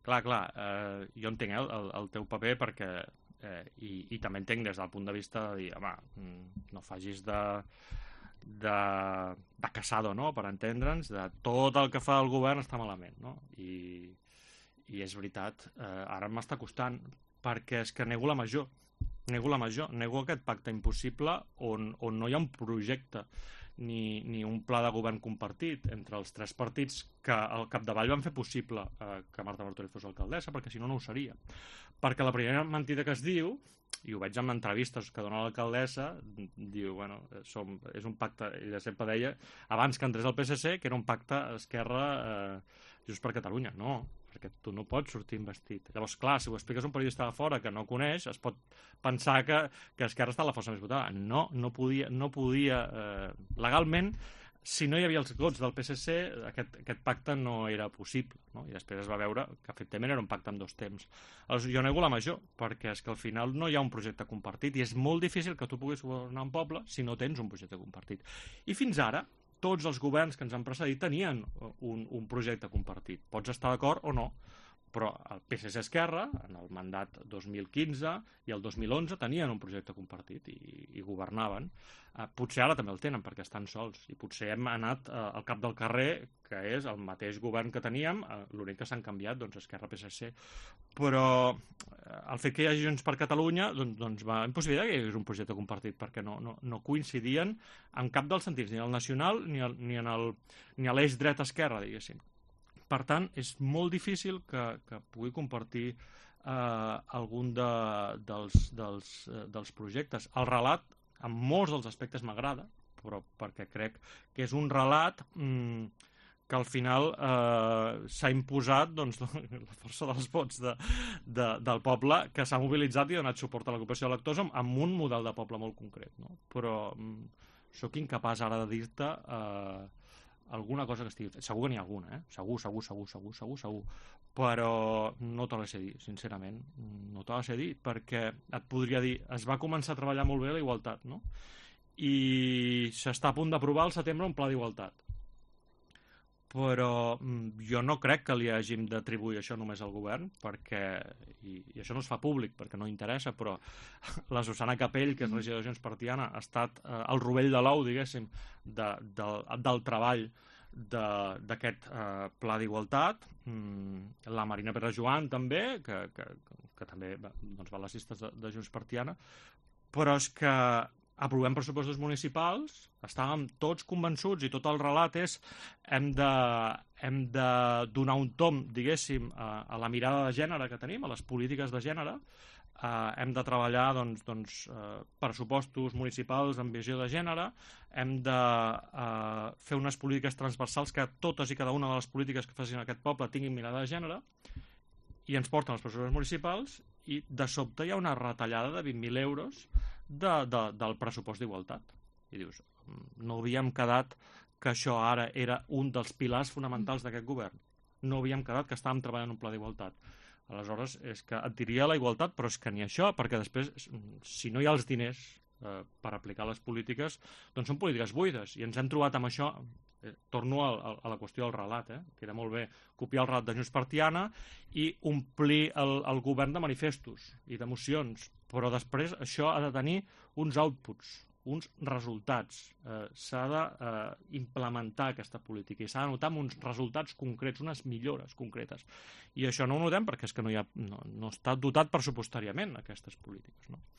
Clar, jo entenc el teu paper perquè, i també entenc des del punt de vista de dir, home, no facis de casado, no?, per entendre'ns, de tot el que fa el govern està malament, no? I és veritat, ara m'està costant, perquè és que nego la major, nego aquest pacte impossible on no hi ha un projecte ni un pla de govern compartit entre els tres partits que al capdavall van fer possible que Marta Martorell fos alcaldessa, perquè si no, no ho seria. Perquè la primera mentida que es diu, i ho veig en entrevistes que dona l'alcaldessa, diu, bueno, és un pacte, ella sempre deia, abans que entrés el PSC, que era un pacte Esquerra Junts per Catalunya. No, perquè tu no pots sortir investit. Llavors, clar, si ho expliques a un periodista de fora que no coneix, es pot pensar que Esquerra està a la força més votada. No podia legalment, si no hi havia els vots del PSC, aquest pacte no era possible, no? I després es va veure que efectivament era un pacte amb dos temps. Aleshores, jo nego la major, perquè és que al final no hi ha un projecte compartit i és molt difícil que tu puguis governar un poble si no tens un projecte compartit. I fins ara, tots els governs que ens han precedit tenien un projecte compartit. Pots estar d'acord o no, però el PSC Esquerra, en el mandat 2015 i el 2011, tenien un projecte compartit i governaven. Potser ara també el tenen perquè estan sols, i potser hem anat al cap del carrer, que és el mateix govern que teníem, l'únic que s'han canviat, doncs, Esquerra-PSC. Però el fet que hi hagi Junts per Catalunya doncs va impossibilitar que hi hagués un projecte compartit, perquè no coincidien en cap dels sentits, ni al nacional ni a l'eix dret-esquerra, diguéssim. Per tant, és molt difícil que pugui compartir algun dels projectes. El relat, en molts dels aspectes m'agrada, però perquè crec que és un relat que al final s'ha imposat doncs, la força dels vots del poble, que s'ha mobilitzat i ha donat suport a la cooperació d'electors amb un model de poble molt concret, no? Però sóc incapaç ara de dir-te alguna cosa que estigui... Segur que n'hi ha alguna, segur. Però no te la sé dir, sincerament. No te la sé dir, perquè et podria dir, es va començar a treballar molt bé la igualtat, no? I s'està a punt d'aprovar al setembre un pla d'igualtat. Però jo no crec que li hàgim d'atribuir això només al govern, perquè, i això no es fa públic perquè no interessa, però la Susana Capell, que és regidora de Junts per Tiana, ha estat el rovell de l'ou, diguéssim, del treball d'aquest pla d'igualtat. La Marina Pere Joan també, que també doncs, va a les llistes de Junts per Tiana, però és que aprovem pressupostos municipals, estàvem tots convençuts i tot el relat és hem de donar un tom, diguéssim, a la mirada de gènere que tenim, a les polítiques de gènere, hem de treballar pressupostos municipals amb visió de gènere, hem de fer unes polítiques transversals que totes i cada una de les polítiques que facin aquest poble tinguin mirada de gènere, i ens porten els pressupostos municipals i de sobte hi ha una retallada de 20.000 euros del pressupost d'igualtat. I dius, no havíem quedat que això ara era un dels pilars fonamentals d'aquest govern. No havíem quedat que estàvem treballant un pla d'igualtat. Aleshores, és que et diria la igualtat, però és que ni això, perquè després, si no hi ha els diners per aplicar les polítiques, doncs són polítiques buides. I ens hem trobat amb això, torno a la qüestió del relat, que era molt bé copiar el relat de Junts per Tiana i omplir el govern de manifestos i d'emocions, però després això ha de tenir uns outputs, uns resultats. S'ha d'implementar aquesta política i s'ha de notar amb uns resultats concrets, unes millores concretes. I això no ho notem perquè és que no està dotat pressupostàriament aquestes polítiques, no?